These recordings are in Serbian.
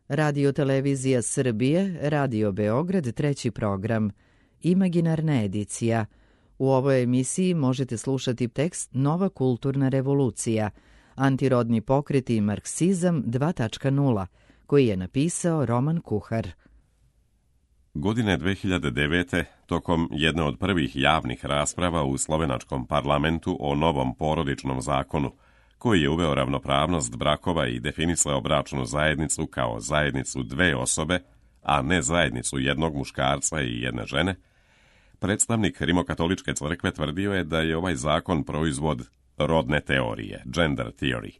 Radio Televizija Srbije, Radio Beograd, treći program, Imaginarna edicija. U ovoj emisiji možete slušati tekst Nova kulturna revolucija, antirodni pokret i marksizam 2.0, koji je napisao Roman Kuhar. Godine 2009. tokom jedne od prvih javnih rasprava u slovenačkom parlamentu o novom porodičnom zakonu, koji je uveo ravnopravnost brakova i definisao bračnu zajednicu kao zajednicu dve osobe, a ne zajednicu jednog muškarca i jedne žene, predstavnik Rimokatoličke crkve tvrdio je da je ovaj zakon proizvod rodne teorije, gender theory.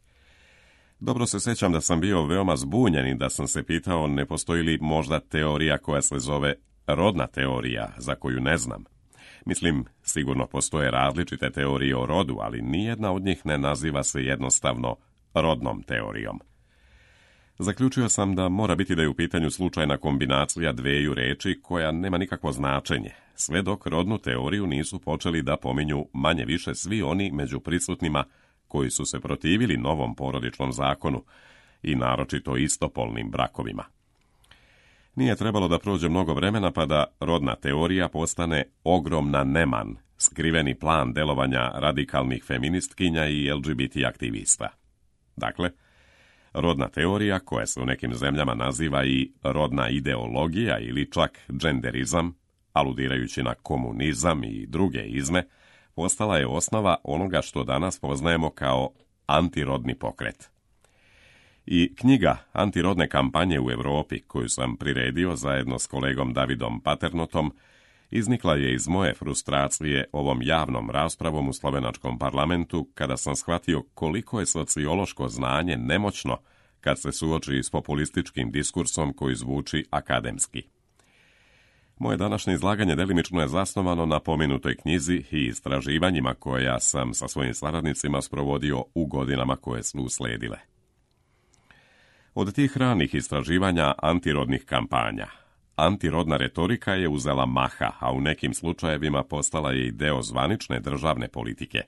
Dobro se sjećam da sam bio veoma zbunjen i da sam se pitao ne postoji li možda teorija koja se zove rodna teorija, za koju ne znam. Mislim, sigurno postoje različite teorije o rodu, ali nijedna od njih ne naziva se jednostavno rodnom teorijom. Zaključio sam da mora biti da je u pitanju slučajna kombinacija dveju reči koja nema nikakvo značenje, sve dok rodnu teoriju nisu počeli da pominju manje više svi oni među prisutnima koji su se protivili novom porodičnom zakonu i naročito istopolnim brakovima. Nije trebalo da prođe mnogo vremena pa da rodna teorija postane ogromna neman, skriveni plan delovanja radikalnih feministkinja i LGBT aktivista. Dakle, rodna teorija, koja se u nekim zemljama naziva i rodna ideologija ili čak genderizam, aludirajući na komunizam i druge izme, postala je osnova onoga što danas poznajemo kao antirodni pokret. I knjiga Antirodne kampanje u Europi, koju sam priredio zajedno s kolegom Davidom Paternotom, iznikla je iz moje frustracije ovom javnom raspravom u slovenačkom parlamentu, kada sam shvatio koliko je sociološko znanje nemoćno kad se suoči s populističkim diskursom koji zvuči akademski. Moje današnje izlaganje delimično je zasnovano na pomenutoj knjizi i istraživanjima koja sam sa svojim saradnicima sprovodio u godinama koje su usledile. Od tih ranih istraživanja antirodnih kampanja, antirodna retorika je uzela maha, a u nekim slučajevima postala je i deo zvanične državne politike.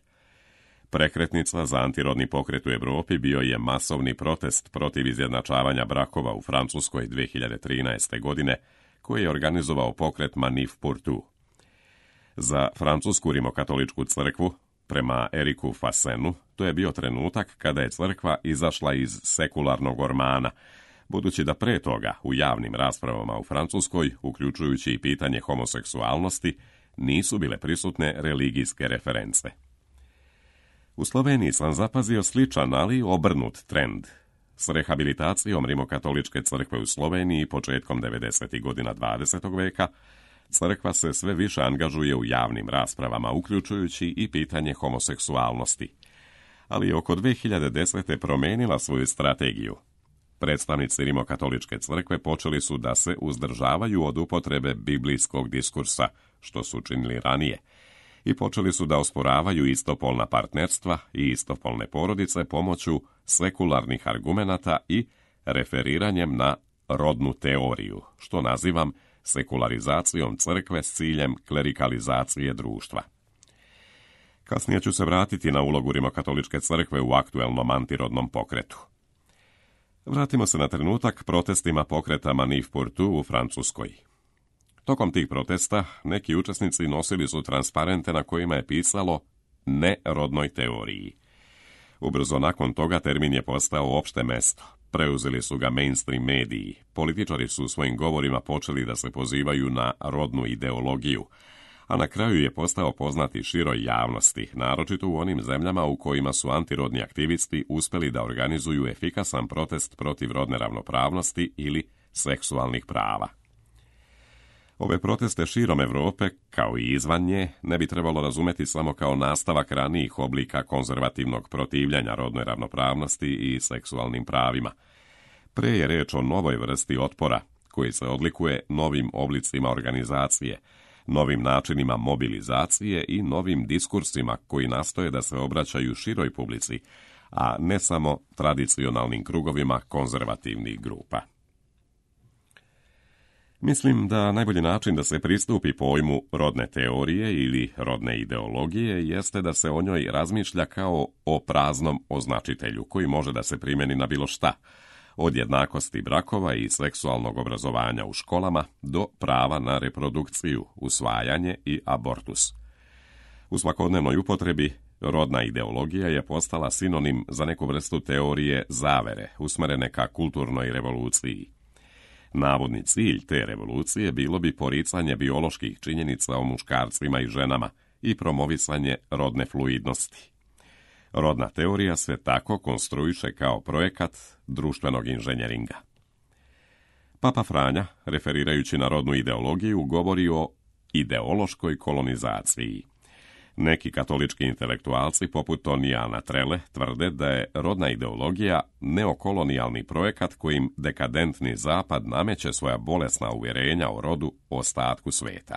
Prekretnica za antirodni pokret u Europi bio je masovni protest protiv izjednačavanja brakova u Francuskoj 2013. godine, koji je organizovao pokret Manif pour tout. Za francusku rimokatoličku crkvu, prema Eriku Fassenu, to je bio trenutak kada je crkva izašla iz sekularnog ormana, budući da pre toga u javnim raspravama u Francuskoj, uključujući i pitanje homoseksualnosti, nisu bile prisutne religijske reference. U Sloveniji sam zapazio sličan, ali obrnut trend. S rehabilitacijom Rimokatoličke crkve u Sloveniji početkom 90. godina 20. veka, crkva se sve više angažuje u javnim raspravama, uključujući i pitanje homoseksualnosti. Ali oko 2010. promenila svoju strategiju. Predstavnici Rimokatoličke crkve počeli su da se uzdržavaju od upotrebe biblijskog diskursa, što su činili ranije, i počeli su da osporavaju istopolna partnerstva i istopolne porodice pomoću sekularnih argumenata i referiranjem na rodnu teoriju, što nazivam sekularizacijom crkve s ciljem klerikalizacije društva. Kasnije ću se vratiti na ulogu Rimokatoličke crkve u aktuelnom antirodnom pokretu. Vratimo se na trenutak protestima pokreta Manif pour tout u Francuskoj. Tokom tih protesta neki učesnici nosili su transparente na kojima je pisalo ne rodnoj teoriji. Ubrzo nakon toga termin je postao opšte mesto. Preuzeli su ga mainstream mediji. Političari su u svojim govorima počeli da se pozivaju na rodnu ideologiju, a na kraju je postao poznati široj javnosti, naročito u onim zemljama u kojima su antirodni aktivisti uspeli da organizuju efikasan protest protiv rodne ravnopravnosti ili seksualnih prava. Ove proteste širom Europe, kao i izvan nje, ne bi trebalo razumeti samo kao nastavak ranijih oblika konzervativnog protivljanja rodnoj ravnopravnosti i seksualnim pravima. Pre je reč o novoj vrsti otpora, koji se odlikuje novim oblicima organizacije, novim načinima mobilizacije i novim diskursima koji nastoje da se obraćaju široj publici, a ne samo tradicionalnim krugovima konzervativnih grupa. Mislim da najbolji način da se pristupi pojmu rodne teorije ili rodne ideologije jeste da se o njoj razmišlja kao o praznom označitelju koji može da se primjeni na bilo šta, od jednakosti brakova i seksualnog obrazovanja u školama do prava na reprodukciju, usvajanje i abortus. U svakodnevnoj upotrebi rodna ideologija je postala sinonim za neku vrstu teorije zavere, usmerene ka kulturnoj revoluciji. Navodni cilj te revolucije bilo bi poricanje bioloških činjenica o muškarcima i ženama i promovisanje rodne fluidnosti. Rodna teorija se tako konstruiše kao projekat društvenog inženjeringa. Papa Franja, referirajući na rodnu ideologiju, govori o ideološkoj kolonizaciji. Neki katolički intelektualci, poput Tonijana Trele, tvrde da je rodna ideologija neokolonijalni projekat kojim dekadentni zapad nameće svoja bolesna uvjerenja o rodu ostatku sveta.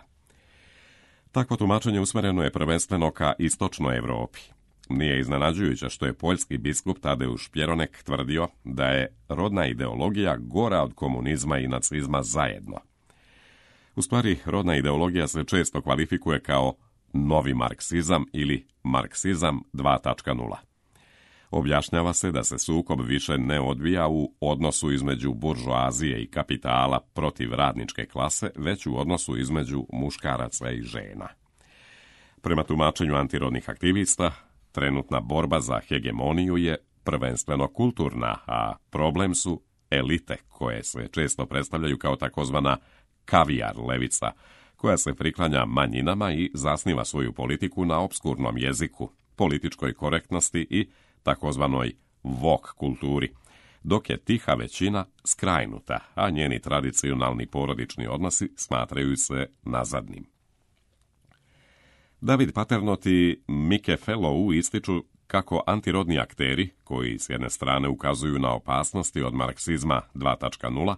Takvo tumačenje usmjereno je prvenstveno ka istočnoj Europi. Nije iznenađujuće što je poljski biskup Tadeusz Pjeronek tvrdio da je rodna ideologija gora od komunizma i nacizma zajedno. U stvari, rodna ideologija se često kvalifikuje kao novi marksizam ili marksizam 2.0. Objašnjava se da se sukob više ne odvija u odnosu između buržoazije i kapitala protiv radničke klase, već u odnosu između muškaraca i žena. Prema tumačenju antirodnih aktivista, trenutna borba za hegemoniju je prvenstveno kulturna, a problem su elite koje se često predstavljaju kao takozvana kavijar levica, koja se priklanja manjinama i zasniva svoju politiku na opskurnom jeziku, političkoj korektnosti i takozvanoj woke kulturi, dok je tiha većina skrajnuta, a njeni tradicionalni porodični odnosi smatraju se nazadnim. David Paternot i Mike Fellow ističu kako antirodni akteri, koji s jedne strane ukazuju na opasnosti od marksizma 2.0,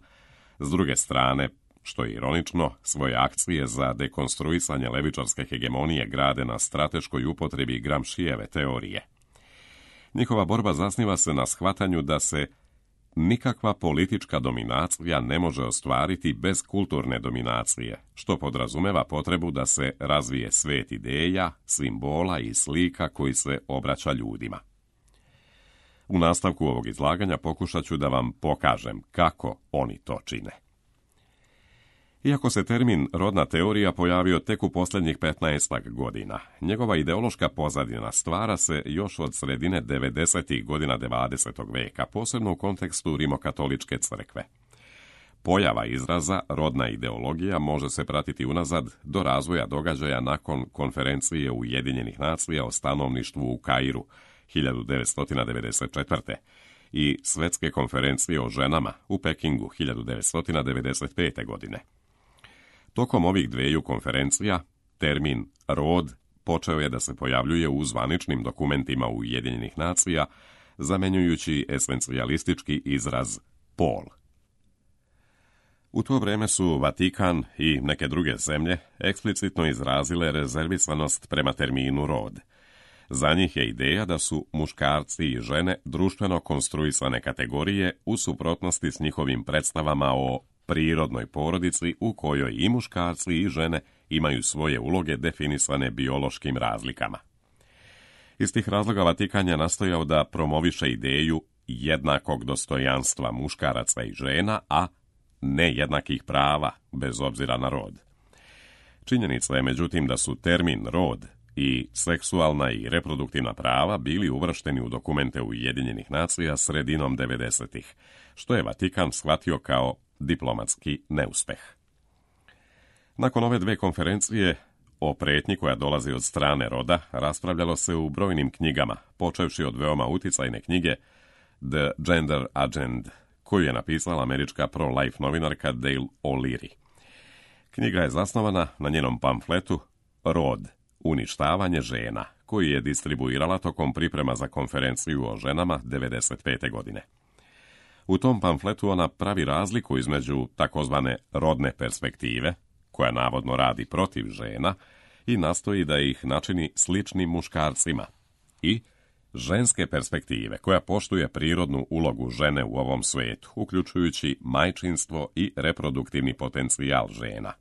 s druge strane, što je ironično, svoje akcije za dekonstruisanje levičarske hegemonije grade na strateškoj upotrebi Gramscijeve teorije. Njihova borba zasniva se na shvatanju da se nikakva politička dominacija ne može ostvariti bez kulturne dominacije, što podrazumeva potrebu da se razvije svet ideja, simbola i slika koji se obraća ljudima. U nastavku ovog izlaganja pokušat ću da vam pokažem kako oni to čine. Iako se termin rodna teorija pojavio tek u posljednjih 15 godina, njegova ideološka pozadina stvara se još od sredine 90. godina 20. veka, posebno u kontekstu rimokatoličke crkve. Pojava izraza rodna ideologija može se pratiti unazad do razvoja događaja nakon konferencije Ujedinjenih nacija o stanovništvu u Kairu 1994. i Svjetske konferencije o ženama u Pekingu 1995. godine. Tokom ovih dveju konferencija, termin rod počeo je da se pojavljuje u zvaničnim dokumentima Ujedinjenih nacija, zamenjujući esencijalistički izraz pol. U to vrijeme su Vatikan i neke druge zemlje eksplicitno izrazile rezervisanost prema terminu rod. Za njih je ideja da su muškarci i žene društveno konstruisane kategorije u suprotnosti s njihovim predstavama o prirodnoj porodici u kojoj i muškarci i žene imaju svoje uloge definisane biološkim razlikama. Iz tih razloga Vatikan je nastojao da promoviše ideju jednakog dostojanstva muškaraca i žena, a ne jednakih prava, bez obzira na rod. Činjenica je međutim da su termin rod i seksualna i reproduktivna prava bili uvršteni u dokumente Ujedinjenih nacija sredinom 90-ih, što je Vatikan shvatio kao diplomatski neuspeh. Nakon ove dve konferencije o pretnji koja dolazi od strane roda raspravljalo se u brojnim knjigama, počevši od veoma uticajne knjige The Gender Agenda, koju je napisala američka pro-life novinarka Dale O'Leary. Knjiga je zasnovana na njenom pamfletu Rod, uništavanje žena, koji je distribuirala tokom priprema za konferenciju o ženama 1995. godine. U tom pamfletu ona pravi razliku između takozvane rodne perspektive, koja navodno radi protiv žena i nastoji da ih načini sličnim muškarcima, i ženske perspektive, koja poštuje prirodnu ulogu žene u ovom svetu, uključujući majčinstvo i reproduktivni potencijal žena.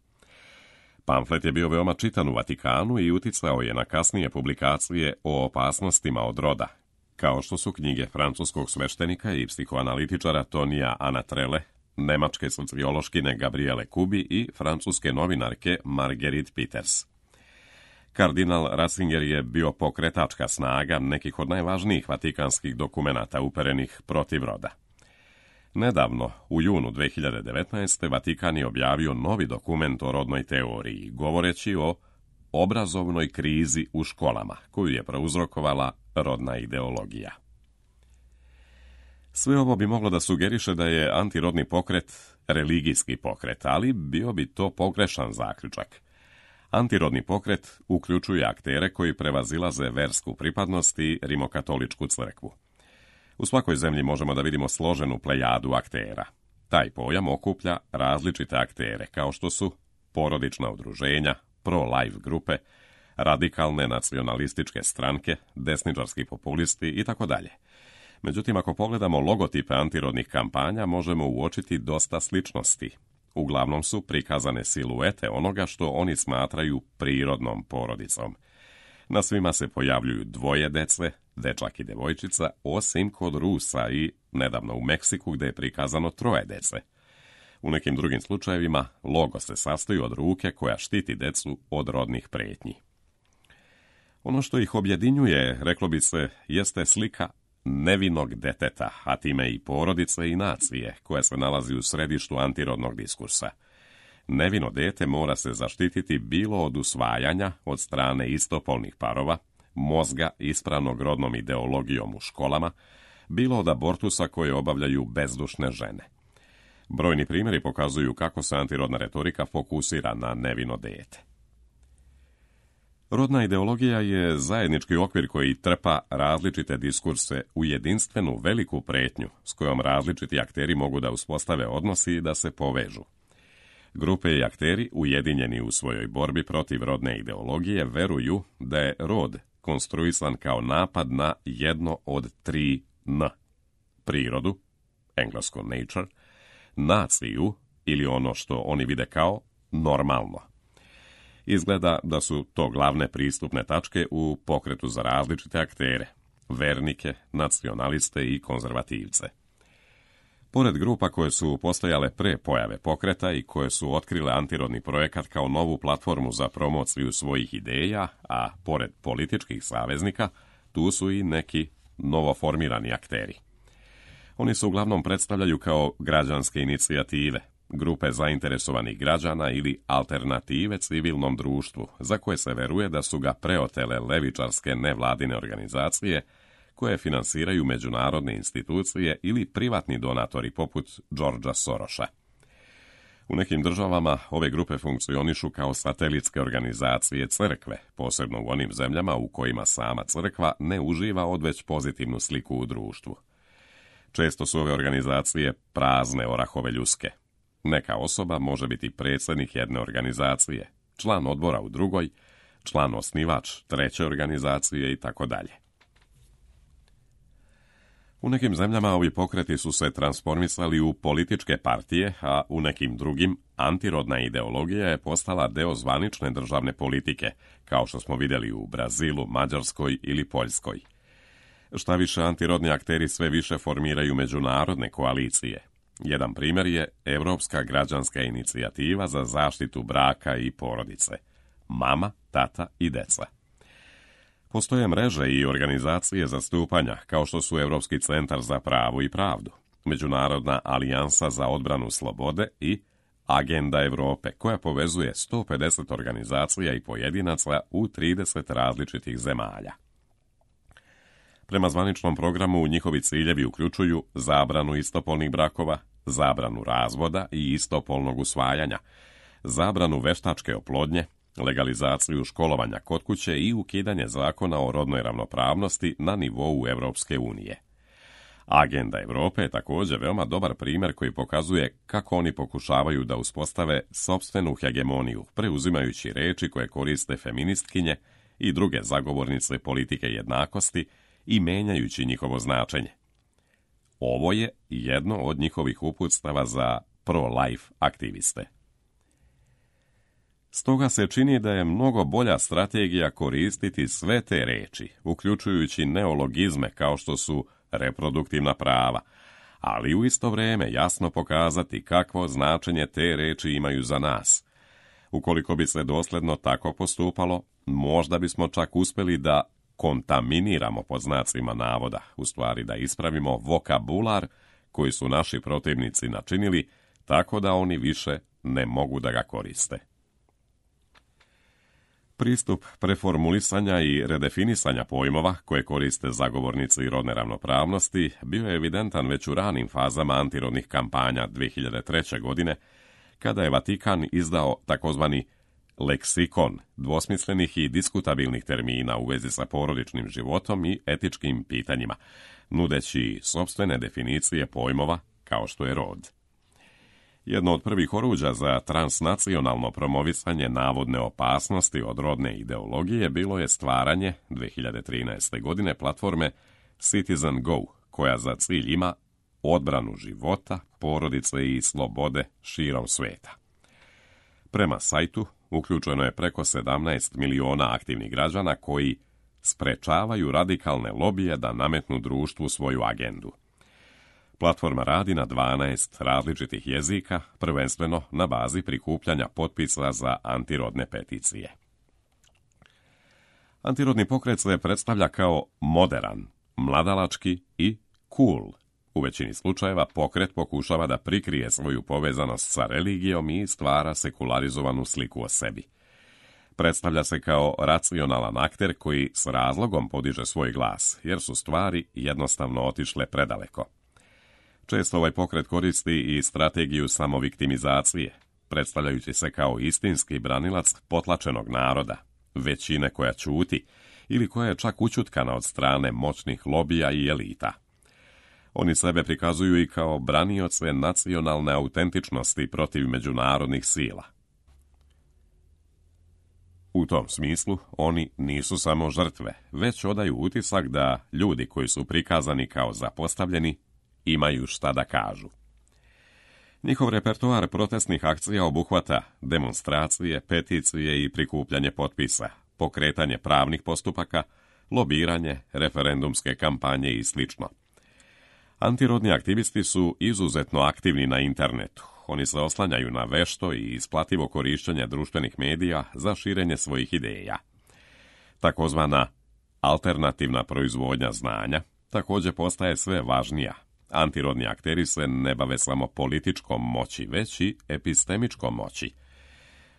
Pamflet je bio veoma čitan u Vatikanu i uticao je na kasnije publikacije o opasnostima od roda, kao što su knjige francuskog sveštenika i psihoanalitičara Tonija Anatrele, nemačke sociološkine Gabriele Kubi i francuske novinarke Marguerite Peters. Kardinal Ratzinger je bio pokretačka snaga nekih od najvažnijih vatikanskih dokumenata uperenih protiv roda. Nedavno, u junu 2019. Vatikan je objavio novi dokument o rodnoj teoriji, govoreći o obrazovnoj krizi u školama, koju je prouzrokovala rodna ideologija. Sve ovo bi moglo da sugeriše da je antirodni pokret religijski pokret, ali bio bi to pogrešan zaključak. Antirodni pokret uključuje aktere koji prevazilaze versku pripadnost i rimokatoličku crkvu. U svakoj zemlji možemo da vidimo složenu plejadu aktera. Taj pojam okuplja različite aktere, kao što su porodična udruženja, pro-life grupe, radikalne nacionalističke stranke, desničarski populisti itd. Međutim, ako pogledamo logotipe antirodnih kampanja, možemo uočiti dosta sličnosti. Uglavnom su prikazane siluete onoga što oni smatraju prirodnom porodicom. Na svima se pojavljuju dvoje dece, dečak i devojčica, osim kod Rusa i nedavno u Meksiku gde je prikazano troje dece. U nekim drugim slučajevima logo se sastoji od ruke koja štiti decu od rodnih pretnji. Ono što ih objedinjuje, reklo bi se, jeste slika nevinog deteta, a time i porodice i nacije, koja se nalazi u središtu antirodnog diskursa. Nevino dete mora se zaštititi bilo od usvajanja od strane istopolnih parova, mozga ispranog rodnom ideologijom u školama, bilo od abortusa koje obavljaju bezdušne žene. Brojni primjeri pokazuju kako se antirodna retorika fokusira na nevino dete. Rodna ideologija je zajednički okvir koji trpa različite diskurse u jedinstvenu veliku pretnju s kojom različiti akteri mogu da uspostave odnosi i da se povežu. Grupe i akteri, ujedinjeni u svojoj borbi protiv rodne ideologije, veruju da je rod konstruisan kao napad na jedno od 3 N. Prirodu, englesko nature, naciju ili ono što oni vide kao normalno. Izgleda da su to glavne pristupne tačke u pokretu za različite aktere, vernike, nacionaliste i konzervativce. Pored grupa koje su postojale pre pojave pokreta i koje su otkrile antirodni projekat kao novu platformu za promociju svojih ideja, a pored političkih saveznika, tu su i neki novoformirani akteri. Oni se uglavnom predstavljaju kao građanske inicijative, grupe zainteresovanih građana ili alternative civilnom društvu, za koje se veruje da su ga preotele levičarske nevladine organizacije, koje finansiraju međunarodne institucije ili privatni donatori poput Georgea Sorosa. U nekim državama ove grupe funkcionišu kao satelitske organizacije crkve, posebno u onim zemljama u kojima sama crkva ne uživa odveć pozitivnu sliku u društvu. Često su ove organizacije prazne orahove ljuske. Neka osoba može biti predsjednik jedne organizacije, član odbora u drugoj, član osnivač treće organizacije itd. U nekim zemljama ovi pokreti su se transformisali u političke partije, a u nekim drugim antirodna ideologija je postala deo zvanične državne politike, kao što smo vidjeli u Brazilu, Mađarskoj ili Poljskoj. Šta više, antirodni akteri sve više formiraju međunarodne koalicije. Jedan primjer je Evropska građanska inicijativa za zaštitu braka i porodice. Mama, tata i deca. Postoje mreže i organizacije zastupanja, kao što su Evropski centar za pravo i pravdu, Međunarodna alijansa za odbranu slobode i Agenda Evrope, koja povezuje 150 organizacija i pojedinaca u 30 različitih zemalja. Prema zvaničnom programu njihovi ciljevi uključuju zabranu istopolnih brakova, zabranu razvoda i istopolnog usvajanja, zabranu veštačke oplodnje, legalizaciju školovanja kod kuće i ukidanje zakona o rodnoj ravnopravnosti na nivou Evropske unije. Agenda Evrope je također veoma dobar primjer koji pokazuje kako oni pokušavaju da uspostave sopstvenu hegemoniju, preuzimajući reči koje koriste feministkinje i druge zagovornice politike jednakosti i menjajući njihovo značenje. Ovo je jedno od njihovih uputstava za pro-life aktiviste. Stoga se čini da je mnogo bolja strategija koristiti sve te reči, uključujući neologizme kao što su reproduktivna prava, ali u isto vrijeme jasno pokazati kakvo značenje te reči imaju za nas. Ukoliko bi se dosljedno tako postupalo, možda bismo čak uspjeli da kontaminiramo pod znacima navoda, u stvari da ispravimo vokabular koji su naši protivnici načinili, tako da oni više ne mogu da ga koriste. Pristup preformulisanja i redefinisanja pojmova koje koriste zagovornici rodne ravnopravnosti bio je evidentan već u ranim fazama antirodnih kampanja 2003. godine, kada je Vatikan izdao takozvani leksikon dvosmislenih i diskutabilnih termina u vezi sa porodičnim životom i etičkim pitanjima, nudeći sopstvene definicije pojmova kao što je rod. Jedno od prvih oruđa za transnacionalno promovisanje navodne opasnosti od rodne ideologije bilo je stvaranje 2013. godine platforme Citizen Go, koja za cilj ima odbranu života, porodice i slobode širom sveta. Prema sajtu uključeno je preko 17 miliona aktivnih građana koji sprečavaju radikalne lobije da nametnu društvu svoju agendu. Platforma radi na 12 različitih jezika, prvenstveno na bazi prikupljanja potpisa za antirodne peticije. Antirodni pokret se predstavlja kao moderan, mladalački i cool. U većini slučajeva pokret pokušava da prikrije svoju povezanost sa religijom i stvara sekularizovanu sliku o sebi. Predstavlja se kao racionalan akter koji s razlogom podiže svoj glas, jer su stvari jednostavno otišle predaleko. Često ovaj pokret koristi i strategiju samoviktimizacije, predstavljajući se kao istinski branilac potlačenog naroda, većine koja ćuti ili koja je čak ućutkana od strane moćnih lobija i elita. Oni sebe prikazuju i kao branioce nacionalne autentičnosti protiv međunarodnih sila. U tom smislu, oni nisu samo žrtve, već odaju utisak da ljudi koji su prikazani kao zapostavljeni imaju šta da kažu. Njihov repertoar protestnih akcija obuhvata demonstracije, peticije i prikupljanje potpisa, pokretanje pravnih postupaka, lobiranje, referendumske kampanje i sl. Antirodni aktivisti su izuzetno aktivni na internetu. Oni se oslanjaju na vešto i isplativo korištenje društvenih medija za širenje svojih ideja. Takozvana alternativna proizvodnja znanja također postaje sve važnija. Antirodni akteri se ne bave samo političkom moći, već i epistemičkom moći.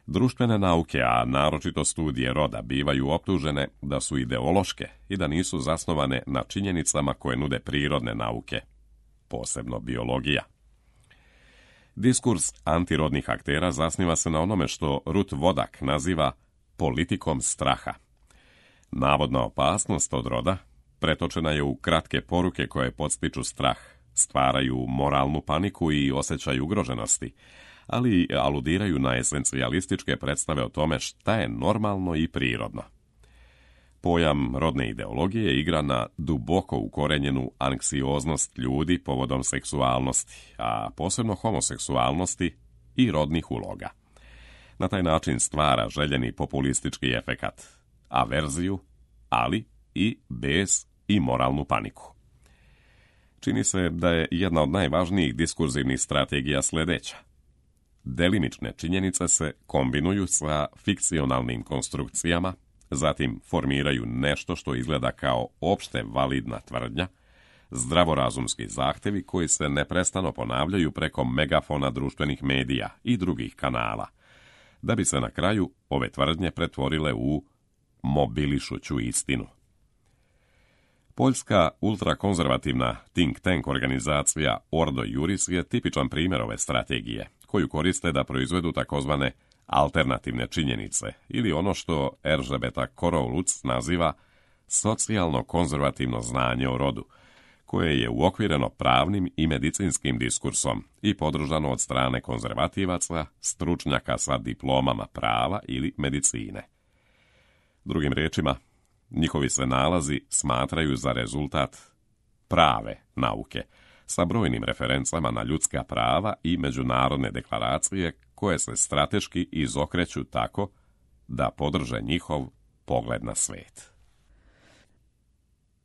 Društvene nauke, a naročito studije roda, bivaju optužene da su ideološke i da nisu zasnovane na činjenicama koje nude prirodne nauke, posebno biologija. Diskurs antirodnih aktera zasniva se na onome što Ruth Wodak naziva politikom straha. Navodna opasnost od roda pretočena je u kratke poruke koje podstiču strah, stvaraju moralnu paniku i osjećaj ugroženosti, ali aludiraju na esencijalističke predstave o tome šta je normalno i prirodno. Pojam rodne ideologije igra na duboko ukorenjenu anksioznost ljudi povodom seksualnosti, a posebno homoseksualnosti i rodnih uloga. Na taj način stvara željeni populistički efekat, averziju, ali i bes i moralnu paniku. Čini se da je jedna od najvažnijih diskurzivnih strategija sljedeća. Delimične činjenice se kombinuju sa fikcionalnim konstrukcijama, zatim formiraju nešto što izgleda kao opšte validna tvrdnja, zdravorazumski zahtevi koji se neprestano ponavljaju preko megafona društvenih medija i drugih kanala, da bi se na kraju ove tvrdnje pretvorile u mobilišuću istinu. Poljska ultrakonzervativna think tank organizacija Ordo Juris je tipičan primjer ove strategije, koju koriste da proizvedu takozvane alternativne činjenice, ili ono što Erzsébeta Korolc naziva socijalno-konzervativno znanje o rodu, koje je uokvireno pravnim i medicinskim diskursom i podržano od strane konzervativaca, stručnjaka sa diplomama prava ili medicine. Drugim riječima, njihovi se nalazi smatraju za rezultat prave nauke, sa brojnim referencama na ljudska prava i međunarodne deklaracije koje se strateški izokreću tako da podrže njihov pogled na svet.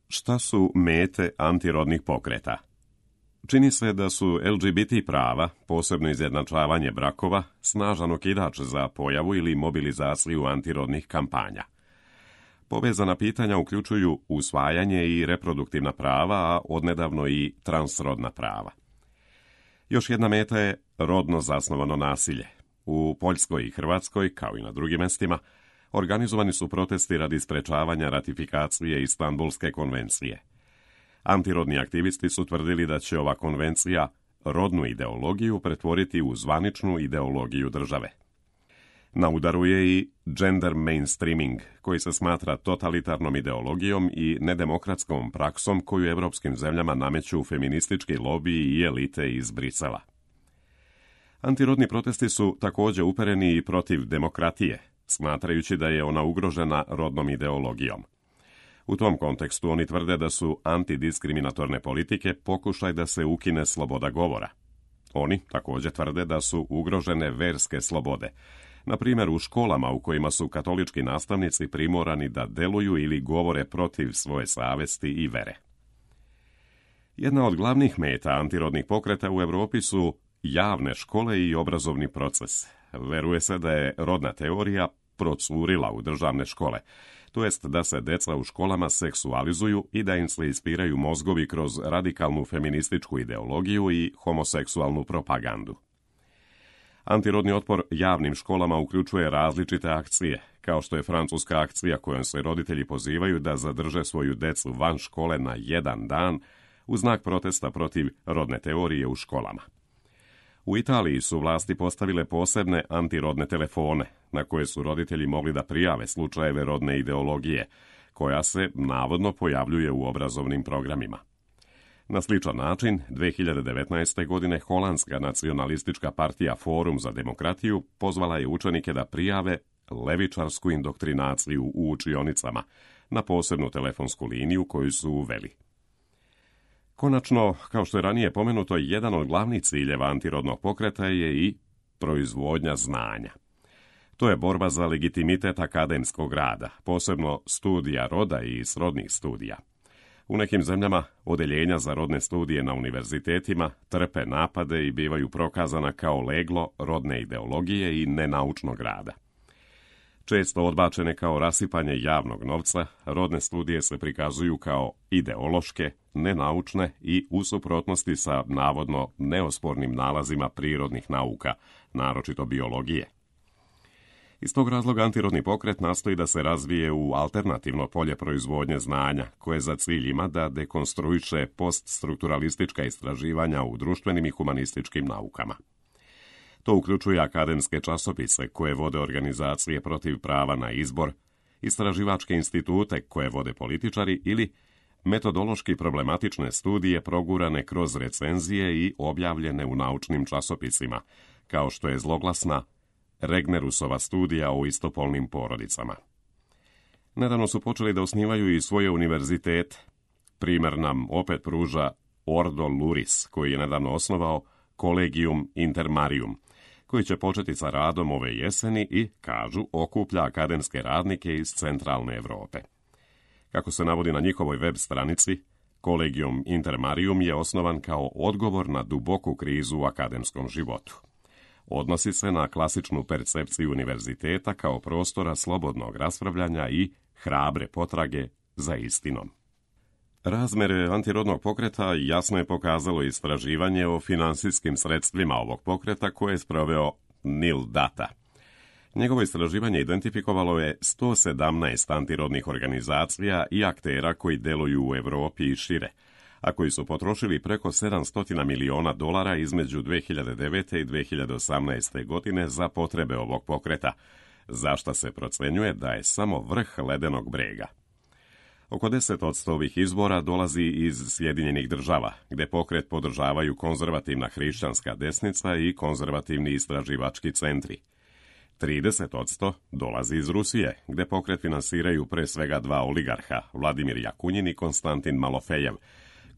Šta su mete antirodnih pokreta? Čini se da su LGBT prava, posebno izjednačavanje brakova, snažan okidač za pojavu ili mobilizaciju antirodnih kampanja. Povezana pitanja uključuju usvajanje i reproduktivna prava, a odnedavno i transrodna prava. Još jedna meta je rodno zasnovano nasilje. U Poljskoj i Hrvatskoj, kao i na drugim mestima, organizovani su protesti radi sprečavanja ratifikacije Istanbulske konvencije. Antirodni aktivisti su tvrdili da će ova konvencija rodnu ideologiju pretvoriti u zvaničnu ideologiju države. Na udaru je i gender mainstreaming, koji se smatra totalitarnom ideologijom i nedemokratskom praksom koju evropskim zemljama nameću feministički lobiji i elite iz Brisela. Antirodni protesti su također upereni i protiv demokratije, smatrajući da je ona ugrožena rodnom ideologijom. U tom kontekstu oni tvrde da su antidiskriminatorne politike pokušaj da se ukine sloboda govora. Oni također tvrde da su ugrožene verske slobode, na primjer u školama u kojima su katolički nastavnici primorani da deluju ili govore protiv svoje savesti i vere. Jedna od glavnih meta antirodnih pokreta u Europi su javne škole i obrazovni proces. Veruje se da je rodna teorija procurila u državne škole, to jest da se deca u školama seksualizuju i da im se ispiraju mozgovi kroz radikalnu feminističku ideologiju i homoseksualnu propagandu. Antirodni otpor javnim školama uključuje različite akcije, kao što je francuska akcija kojom se roditelji pozivaju da zadrže svoju decu van škole na 1 dan u znak protesta protiv rodne teorije u školama. U Italiji su vlasti postavile posebne antirodne telefone, na koje su roditelji mogli da prijave slučajeve rodne ideologije, koja se navodno pojavljuje u obrazovnim programima. Na sličan način, 2019. godine Holandska nacionalistička partija Forum za demokratiju pozvala je učenike da prijave levičarsku indoktrinaciju u učionicama na posebnu telefonsku liniju koju su uveli. Konačno, kao što je ranije pomenuto, jedan od glavnih ciljeva antirodnog pokreta je i proizvodnja znanja. To je borba za legitimitet akademskog rada, posebno studija roda i srodnih studija. U nekim zemljama odeljenja za rodne studije na univerzitetima trpe napade i bivaju prokazana kao leglo rodne ideologije i nenaučnog rada. Često odbačene kao rasipanje javnog novca, rodne studije se prikazuju kao ideološke, nenaučne i u suprotnosti sa navodno neospornim nalazima prirodnih nauka, naročito biologije. Iz tog razloga antirodni pokret nastoji da se razvije u alternativno polje proizvodnje znanja, koje za cilj ima da dekonstruiše poststrukturalistička istraživanja u društvenim i humanističkim naukama. To uključuje akademske časopise koje vode organizacije protiv prava na izbor, istraživačke institute koje vode političari ili metodološki problematične studije progurane kroz recenzije i objavljene u naučnim časopisima, kao što je zloglasna Regnerusova studija o istopolnim porodicama. Nedavno su počeli da osnivaju i svoje univerzitete. Primjer nam opet pruža Ordo Luris, koji je nedavno osnovao Collegium Intermarium, koji će početi sa radom ove jeseni i, kažu, okuplja akademske radnike iz centralne Europe. Kako se navodi na njihovoj web stranici, Collegium Intermarium je osnovan kao odgovor na duboku krizu u akademskom životu. Odnosi se na klasičnu percepciju univerziteta kao prostora slobodnog raspravljanja i hrabre potrage za istinom. Razmere antirodnog pokreta jasno je pokazalo istraživanje o finansijskim sredstvima ovog pokreta koje je sproveo Nil Data. Njegovo istraživanje identifikovalo je 117 antirodnih organizacija i aktera koji deluju u Europi i šire, a koji su potrošili preko $700 miliona između 2009. i 2018. godine za potrebe ovog pokreta, za što se procenjuje da je samo vrh ledenog brega. Oko 10% ovih izbora dolazi iz Sjedinjenih Država, gde pokret podržavaju konzervativna hrišćanska desnica i konzervativni istraživački centri. 30% dolazi iz Rusije, gde pokret finansiraju pre svega 2 oligarha, Vladimir Jakunjin i Konstantin Malofejev,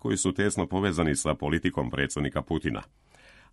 koji su tesno povezani sa politikom predsjednika Putina.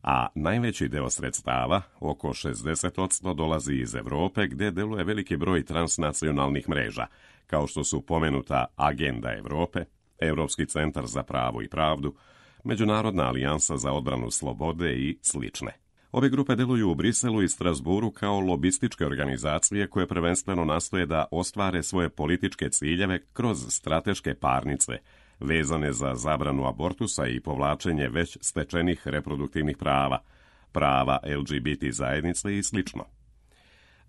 a najveći deo sredstava, oko 60%, dolazi iz Evrope gdje deluje veliki broj transnacionalnih mreža, kao što su pomenuta Agenda Evrope, Europski centar za pravo i pravdu, Međunarodna alijansa za odbranu slobode i slične. Ove grupe deluju u Briselu i Strasburu kao lobističke organizacije koje prvenstveno nastoje da ostvare svoje političke ciljeve kroz strateške parnice, vezane za zabranu abortusa i povlačenje već stečenih reproduktivnih prava, prava LGBT zajednice i slično.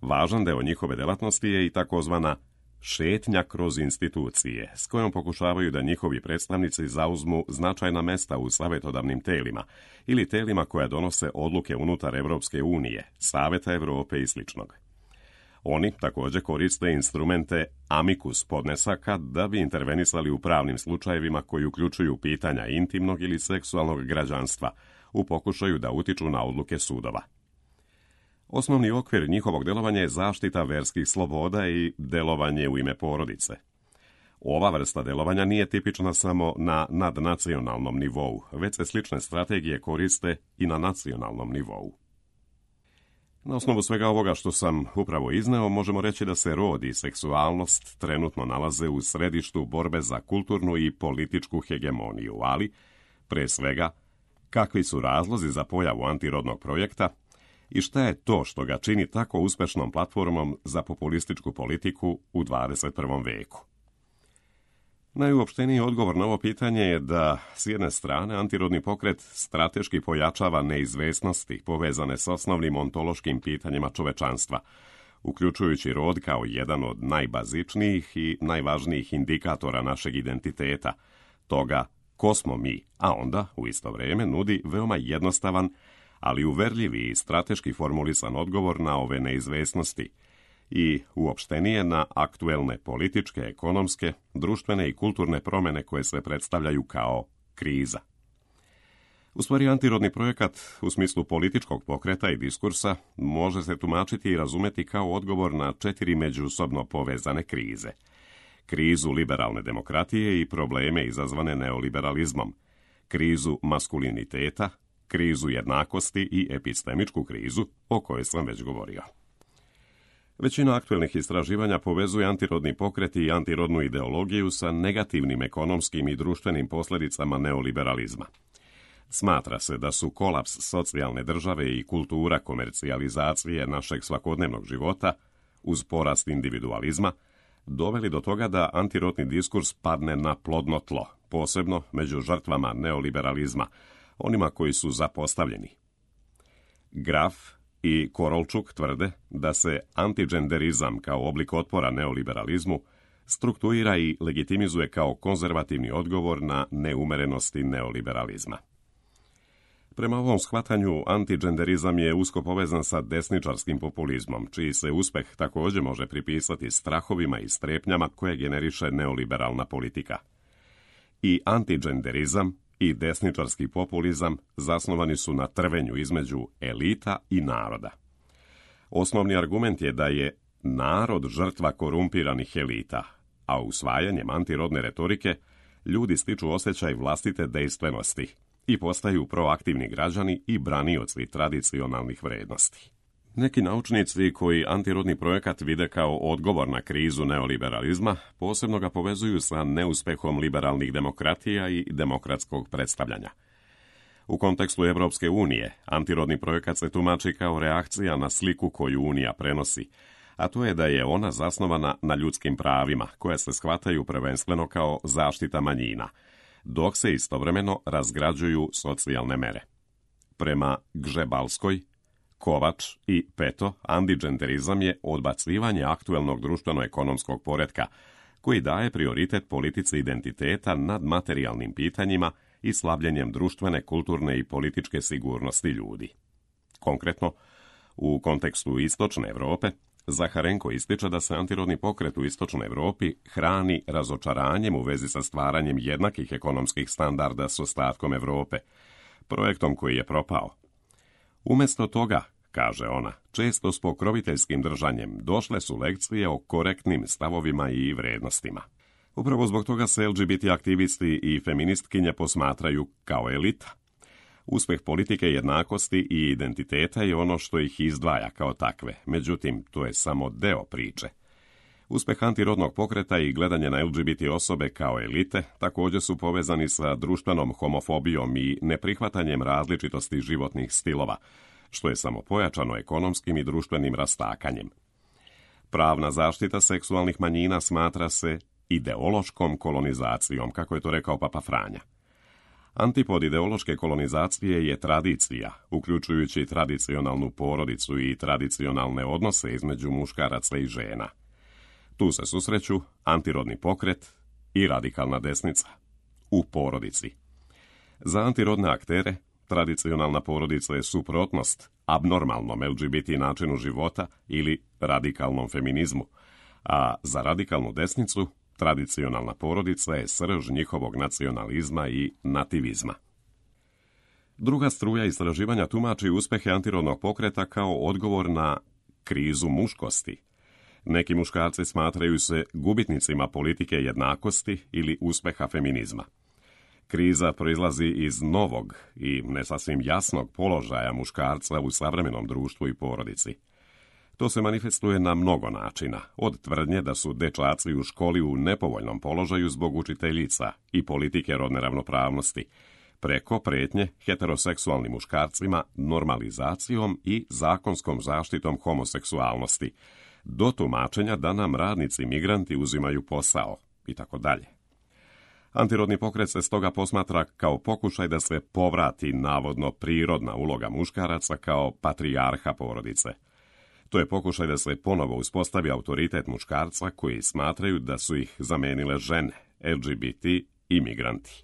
Važan deo njihove delatnosti je i takozvana šetnja kroz institucije, s kojom pokušavaju da njihovi predstavnici zauzmu značajna mesta u savjetodavnim telima ili telima koja donose odluke unutar Evropske unije, Saveta Evrope i sličnog. Oni također koriste instrumente amicus podnesaka da bi intervenisali u pravnim slučajevima koji uključuju pitanja intimnog ili seksualnog građanstva u pokušaju da utiču na odluke sudova. Osnovni okvir njihovog delovanja je zaštita verskih sloboda i delovanje u ime porodice. Ova vrsta delovanja nije tipična samo na nadnacionalnom nivou, već se slične strategije koriste i na nacionalnom nivou. Na osnovu svega ovoga što sam upravo izneo, možemo reći da se rod i seksualnost trenutno nalaze u središtu borbe za kulturnu i političku hegemoniju, ali, pre svega, kakvi su razlozi za pojavu antirodnog projekta i šta je to što ga čini tako uspešnom platformom za populističku politiku u 21. veku. Najuopšteniji odgovor na ovo pitanje je da, s jedne strane, antirodni pokret strateški pojačava neizvesnosti povezane s osnovnim ontološkim pitanjima čovečanstva, uključujući rod kao jedan od najbazičnijih i najvažnijih indikatora našeg identiteta, toga ko smo mi, a onda, u isto vrijeme, nudi veoma jednostavan, ali uverljivi i strateški formulisan odgovor na ove neizvesnosti i uopštenije na aktuelne političke, ekonomske, društvene i kulturne promjene koje se predstavljaju kao kriza. U stvari, antirodni projekat u smislu političkog pokreta i diskursa može se tumačiti i razumeti kao odgovor na 4 međusobno povezane krize. Krizu liberalne demokratije i probleme izazvane neoliberalizmom, krizu maskuliniteta, krizu jednakosti i epistemičku krizu o kojoj sam već govorio. Većina aktuelnih istraživanja povezuje antirodni pokret i antirodnu ideologiju sa negativnim ekonomskim i društvenim posljedicama neoliberalizma. Smatra se da su kolaps socijalne države i kultura komercijalizacije našeg svakodnevnog života, uz porast individualizma, doveli do toga da antirodni diskurs padne na plodno tlo, posebno među žrtvama neoliberalizma, onima koji su zapostavljeni. Graf i Korolčuk tvrde da se antigenderizam kao oblik otpora neoliberalizmu strukturira i legitimizuje kao konzervativni odgovor na neumerenosti neoliberalizma. Prema ovom shvatanju, antigenderizam je usko povezan sa desničarskim populizmom, čiji se uspeh također može pripisati strahovima i strepnjama koje generiše neoliberalna politika. I antigenderizam i desničarski populizam zasnovani su na trvenju između elita i naroda. Osnovni argument je da je narod žrtva korumpiranih elita, a usvajanjem antirodne retorike ljudi stiču osjećaj vlastite dejstvenosti i postaju proaktivni građani i branioci tradicionalnih vrednosti. Neki naučnici koji antirodni projekat vide kao odgovor na krizu neoliberalizma posebno ga povezuju sa neuspehom liberalnih demokratija i demokratskog predstavljanja. U kontekstu Evropske unije, antirodni projekat se tumači kao reakcija na sliku koju Unija prenosi, a to je da je ona zasnovana na ljudskim pravima, koje se shvataju prvenstveno kao zaštita manjina, dok se istovremeno razgrađuju socijalne mere. Prema Gžebalskoj, Kovač i Peto, antigenderizam je odbacivanje aktuelnog društveno-ekonomskog poretka, koji daje prioritet politici identiteta nad materijalnim pitanjima i slabljenjem društvene, kulturne i političke sigurnosti ljudi. Konkretno, u kontekstu Istočne Evrope, Zaharenko ističe da se antirodni pokret u Istočnoj Evropi hrani razočaranjem u vezi sa stvaranjem jednakih ekonomskih standarda s ostatkom Evrope, projektom koji je propao. Umjesto toga, kaže ona, često s pokroviteljskim držanjem došle su lekcije o korektnim stavovima i vrednostima. Upravo zbog toga se LGBT aktivisti i feministkinje posmatraju kao elita. Uspjeh politike jednakosti i identiteta je ono što ih izdvaja kao takve, međutim, to je samo deo priče. Uspjeh antirodnog pokreta i gledanje na LGBT osobe kao elite također su povezani sa društvenom homofobijom i neprihvatanjem različitosti životnih stilova, što je samo pojačano ekonomskim i društvenim rastakanjem. Pravna zaštita seksualnih manjina smatra se ideološkom kolonizacijom, kako je to rekao Papa Franja. Antipod ideološke kolonizacije je tradicija, uključujući tradicionalnu porodicu i tradicionalne odnose između muškaraca i žena. Tu se susreću antirodni pokret i radikalna desnica u porodici. Za antirodne aktere tradicionalna porodica je suprotnost abnormalnom LGBT načinu života ili radikalnom feminizmu, a za radikalnu desnicu tradicionalna porodica je srž njihovog nacionalizma i nativizma. Druga struja istraživanja tumači uspjehe antirodnog pokreta kao odgovor na krizu muškosti. Neki muškarci smatraju se gubitnicima politike jednakosti ili uspjeha feminizma. Kriza proizlazi iz novog i ne sasvim jasnog položaja muškarca u savremenom društvu i porodici. To se manifestuje na mnogo načina, od tvrdnje da su dečaci u školi u nepovoljnom položaju zbog učiteljica i politike rodne ravnopravnosti, preko pretnje heteroseksualnim muškarcima normalizacijom i zakonskom zaštitom homoseksualnosti, do tumačenja da nam radnici migranti uzimaju posao i tako dalje. Antirodni pokret se stoga posmatra kao pokušaj da se povrati navodno prirodna uloga muškaraca kao patrijarha porodice. To je pokušaj da se ponovo uspostavi autoritet muškarca koji smatraju da su ih zamenile žene, LGBT i migranti.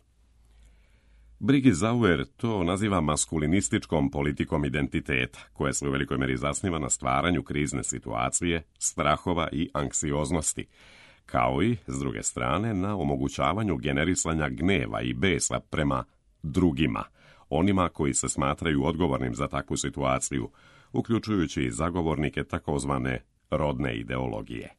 Brigitte Sauer to naziva maskulinističkom politikom identiteta, koja se u velikoj meri zasniva na stvaranju krizne situacije, strahova i anksioznosti, kao i, s druge strane, na omogućavanju generisanja gneva i besa prema drugima, onima koji se smatraju odgovornim za takvu situaciju, uključujući i zagovornike takozvane rodne ideologije.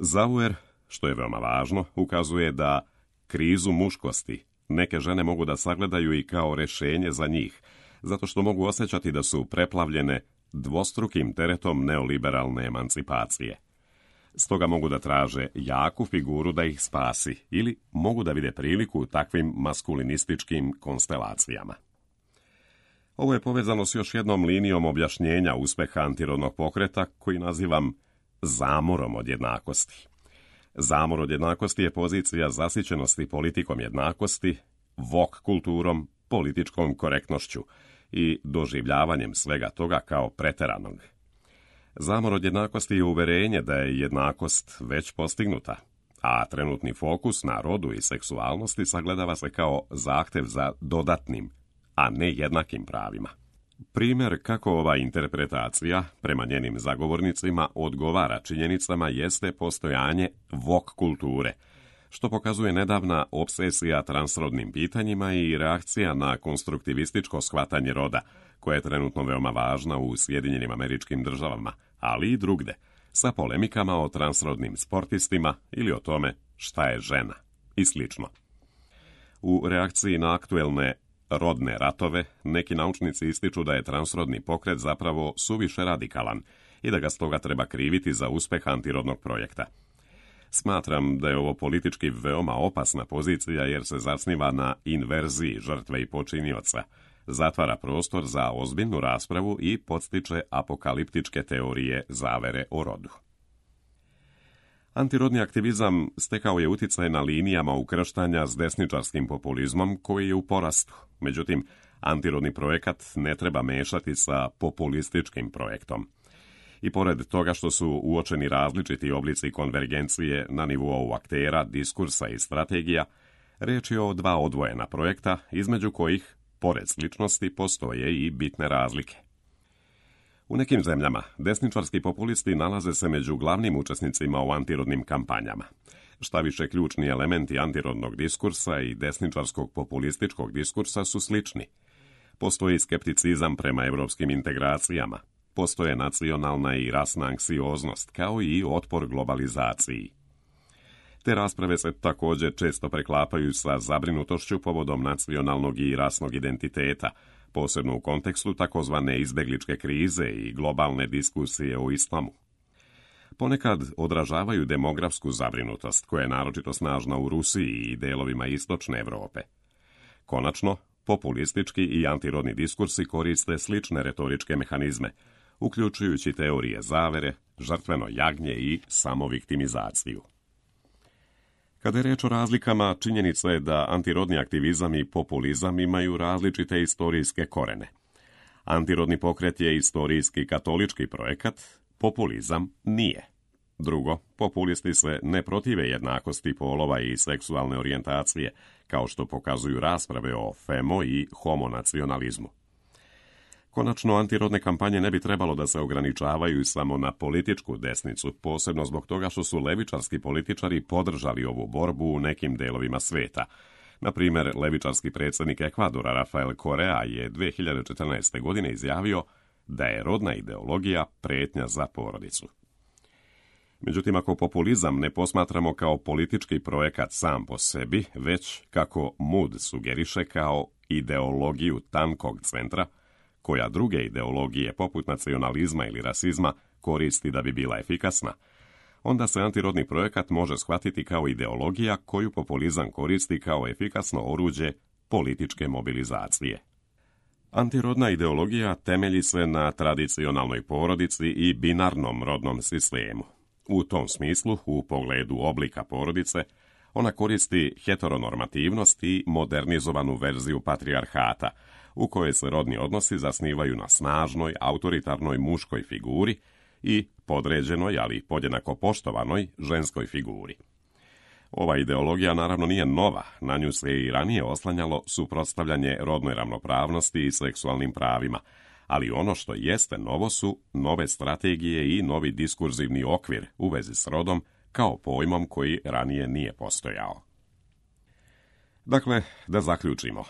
Sauer, što je veoma važno, ukazuje da krizu muškosti neke žene mogu da sagledaju i kao rješenje za njih, zato što mogu osjećati da su preplavljene dvostrukim teretom neoliberalne emancipacije. Stoga mogu da traže jaku figuru da ih spasi ili mogu da vide priliku u takvim maskulinističkim konstelacijama. Ovo je povezano s još jednom linijom objašnjenja uspjeha antirodnog pokreta koji nazivam zamorom od jednakosti. Zamor od jednakosti je pozicija zasićenosti politikom jednakosti, woke kulturom, političkom korektnošću i doživljavanjem svega toga kao preteranog. Zamor od jednakosti je uverenje da je jednakost već postignuta, a trenutni fokus na rodu i seksualnosti sagledava se kao zahtev za dodatnim, a ne jednakim pravima. Primjer kako ova interpretacija, prema njenim zagovornicima, odgovara činjenicama jeste postojanje woke kulture, što pokazuje nedavna obsesija transrodnim pitanjima i reakcija na konstruktivističko shvatanje roda, koja je trenutno veoma važna u Sjedinjenim Američkim Državama, ali i drugde, sa polemikama o transrodnim sportistima ili o tome šta je žena i slično. U reakciji na aktuelne rodne ratove, neki naučnici ističu da je transrodni pokret zapravo suviše radikalan i da ga stoga treba kriviti za uspjeh antirodnog projekta. Smatram da je ovo politički veoma opasna pozicija jer se zasniva na inverziji žrtve i počinioca, zatvara prostor za ozbiljnu raspravu i podstiče apokaliptičke teorije zavere o rodu. Antirodni aktivizam stekao je utjecaj na linijama ukrštanja s desničarskim populizmom koji je u porastu. Međutim, antirodni projekat ne treba mešati sa populističkim projektom. I pored toga što su uočeni različiti oblici konvergencije na nivou aktera, diskursa i strategija, riječ je o dva odvojena projekta, između kojih, pored sličnosti, postoje i bitne razlike. U nekim zemljama desničarski populisti nalaze se među glavnim učesnicima u antirodnim kampanjama. Šta više, ključni elementi antirodnog diskursa i desničarskog populističkog diskursa su slični. Postoji skepticizam prema evropskim integracijama, postoje nacionalna i rasna anksioznost, kao i otpor globalizaciji. Te rasprave se također često preklapaju sa zabrinutošću povodom nacionalnog i rasnog identiteta, posebno u kontekstu takozvane izbegličke krize i globalne diskusije o islamu. Ponekad odražavaju demografsku zabrinutost, koja je naročito snažna u Rusiji i delovima istočne Europe. Konačno, populistički i antirodni diskursi koriste slične retoričke mehanizme, uključujući teorije zavere, žrtveno jagnje i samoviktimizaciju. Kada je reč o razlikama, činjenica je da antirodni aktivizam i populizam imaju različite istorijske korene. Antirodni pokret je istorijski katolički projekat, populizam nije. Drugo, populisti se ne protive jednakosti polova i seksualne orijentacije, kao što pokazuju rasprave o femo i homonacionalizmu. Konačno, antirodne kampanje ne bi trebalo da se ograničavaju samo na političku desnicu, posebno zbog toga što su levičarski političari podržali ovu borbu u nekim delovima sveta. Na primjer, levičarski predsjednik Ekvadora Rafael Correa je 2014. godine izjavio da je rodna ideologija prijetnja za porodicu. Međutim, ako populizam ne posmatramo kao politički projekat sam po sebi, već, kako Mood sugeriše, kao ideologiju tankog centra, koja druge ideologije poput nacionalizma ili rasizma koristi da bi bila efikasna, onda se antirodni projekat može shvatiti kao ideologija koju populizam koristi kao efikasno oruđe političke mobilizacije. Antirodna ideologija temelji se na tradicionalnoj porodici i binarnom rodnom sistemu. U tom smislu, u pogledu oblika porodice, ona koristi heteronormativnost i modernizovanu verziju patrijarhata, u kojoj se rodni odnosi zasnivaju na snažnoj, autoritarnoj muškoj figuri i podređenoj, ali podjednako poštovanoj, ženskoj figuri. Ova ideologija naravno nije nova, na nju se i ranije oslanjalo suprotstavljanje rodnoj ravnopravnosti i seksualnim pravima, ali ono što jeste novo su nove strategije i novi diskurzivni okvir u vezi s rodom kao pojmom koji ranije nije postojao. Dakle, da zaključimo.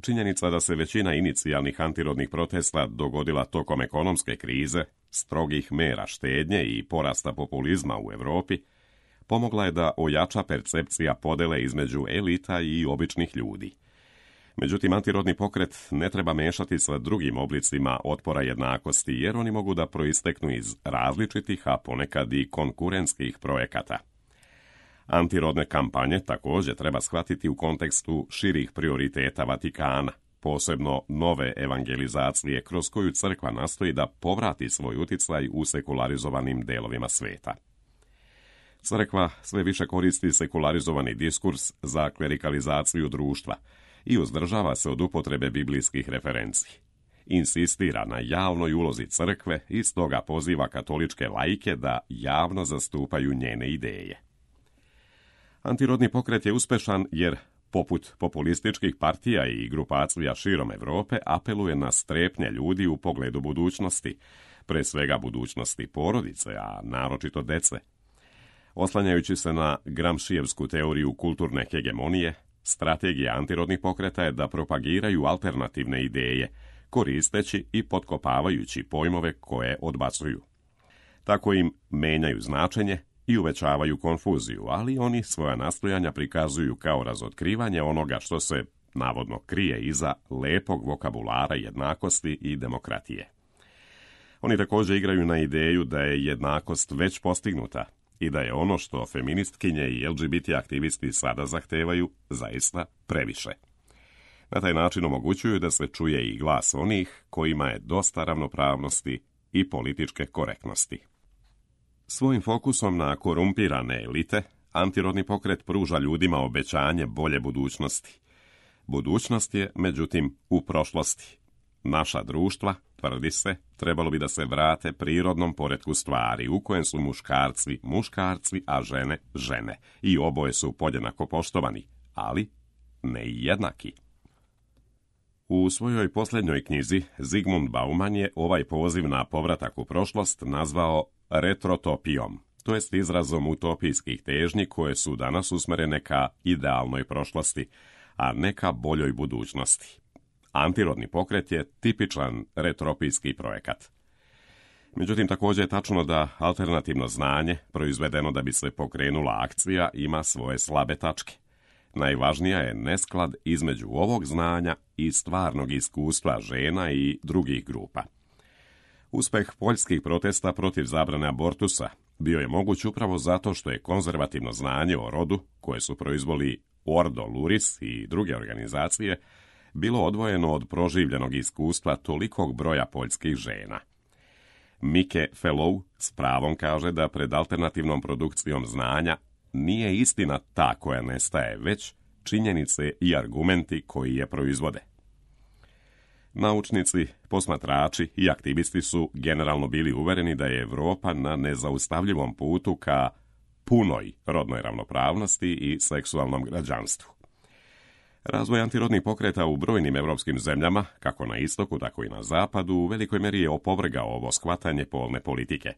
Činjenica da se većina inicijalnih antirodnih protesta dogodila tokom ekonomske krize, strogih mera štednje i porasta populizma u Europi, pomogla je da ojača percepcija podele između elita i običnih ljudi. Međutim, antirodni pokret ne treba mešati sa drugim oblicima otpora jednakosti, jer oni mogu da proisteknu iz različitih, a ponekad i konkurentskih projekata. Antirodne kampanje također treba shvatiti u kontekstu širih prioriteta Vatikana, posebno nove evangelizacije kroz koju crkva nastoji da povrati svoj uticaj u sekularizovanim delovima sveta. Crkva sve više koristi sekularizovani diskurs za klerikalizaciju društva i uzdržava se od upotrebe biblijskih referenci. Insistira na javnoj ulozi crkve i stoga poziva katoličke laike da javno zastupaju njene ideje. Antirodni pokret je uspešan jer, poput populističkih partija i grupacija širom Europe, apeluje na strepnje ljudi u pogledu budućnosti, pre svega budućnosti porodice, a naročito dece. Oslanjajući se na Gramscijevsku teoriju kulturne hegemonije, strategija antirodnih pokreta je da propagiraju alternativne ideje, koristeći i potkopavajući pojmove koje odbacuju. Tako im menjaju značenje i uvećavaju konfuziju, ali oni svoja nastojanja prikazuju kao razotkrivanje onoga što se navodno krije iza lepog vokabulara jednakosti i demokratije. Oni također igraju na ideju da je jednakost već postignuta i da je ono što feministkinje i LGBT aktivisti sada zahtevaju zaista previše. Na taj način omogućuju da se čuje i glas onih kojima je dosta ravnopravnosti i političke korektnosti. Svojim fokusom na korumpirane elite, antirodni pokret pruža ljudima obećanje bolje budućnosti. Budućnost je, međutim, u prošlosti. Naša društva, tvrdi se, trebalo bi da se vrate prirodnom poretku stvari, u kojem su muškarci muškarci, a žene žene. I oboje su podjednako poštovani, ali ne i jednaki. U svojoj posljednjoj knjizi Zygmunt Bauman je ovaj poziv na povratak u prošlost nazvao retrotopijom, to jest izrazom utopijskih težnji koje su danas usmerene ka idealnoj prošlosti, a ne ka boljoj budućnosti. Antirodni pokret je tipičan retropijski projekat. Međutim, također je tačno da alternativno znanje, proizvedeno da bi se pokrenula akcija, ima svoje slabe tačke. Najvažnija je nesklad između ovog znanja i stvarnog iskustva žena i drugih grupa. Uspeh poljskih protesta protiv zabrane abortusa bio je moguć upravo zato što je konzervativno znanje o rodu, koje su proizveli Ordo Luris i druge organizacije, bilo odvojeno od proživljenog iskustva tolikog broja poljskih žena. Mike Fellow s pravom kaže da pred alternativnom produkcijom znanja nije istina ta koja nestaje, već činjenice i argumenti koji je proizvode. Naučnici, posmatrači i aktivisti su generalno bili uvereni da je Europa na nezaustavljivom putu ka punoj rodnoj ravnopravnosti i seksualnom građanstvu. Razvoj antirodnih pokreta u brojnim evropskim zemljama, kako na istoku, tako i na zapadu, u velikoj meri je opovrgao ovo shvatanje polne politike.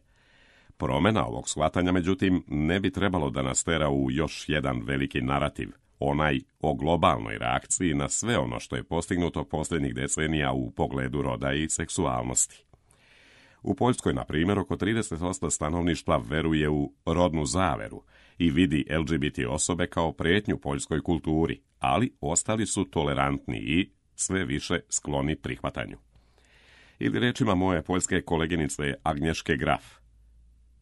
Promjena ovog shvatanja, međutim, ne bi trebalo da nas tera u još jedan veliki narativ, onaj o globalnoj reakciji na sve ono što je postignuto posljednjih decenija u pogledu roda i seksualnosti. U Poljskoj, na primjer, oko 30% stanovništva veruje u rodnu zaveru i vidi LGBT osobe kao prijetnju poljskoj kulturi, ali ostali su tolerantni i sve više skloni prihvatanju. Ili rečima moje poljske koleginice Agnješke Graf: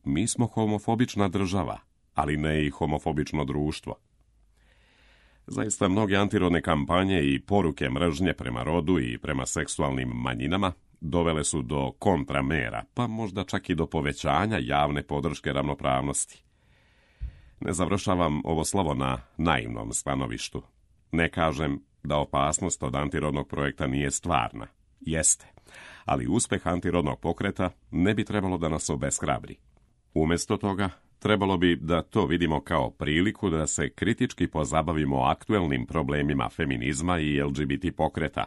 mi smo homofobična država, ali ne i homofobično društvo. Zaista, mnoge antirodne kampanje i poruke mržnje prema rodu i prema seksualnim manjinama dovele su do kontramera, pa možda čak i do povećanja javne podrške ravnopravnosti. Ne završavam ovo slovo na naivnom stanovištu. Ne kažem da opasnost od antirodnog projekta nije stvarna. Jeste, ali uspeh antirodnog pokreta ne bi trebalo da nas obeshrabri. Umjesto toga, trebalo bi da to vidimo kao priliku da se kritički pozabavimo aktuelnim problemima feminizma i LGBT pokreta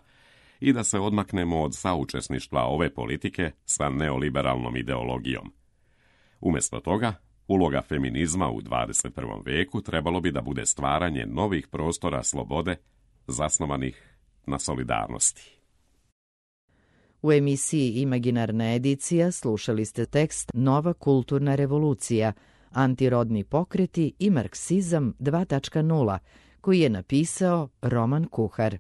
i da se odmaknemo od saučesništva ove politike sa neoliberalnom ideologijom. Umjesto toga, uloga feminizma u 21. veku trebalo bi da bude stvaranje novih prostora slobode zasnovanih na solidarnosti. U emisiji Imaginarna edicija slušali ste tekst Nova kulturna revolucija, antirodni pokreti i marksizam 2.0, koji je napisao Roman Kuhar.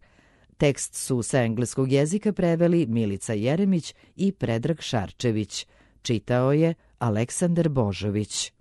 Tekst su sa engleskog jezika preveli Milica Jeremić i Predrag Šarčević. Čitao je Aleksandar Božović.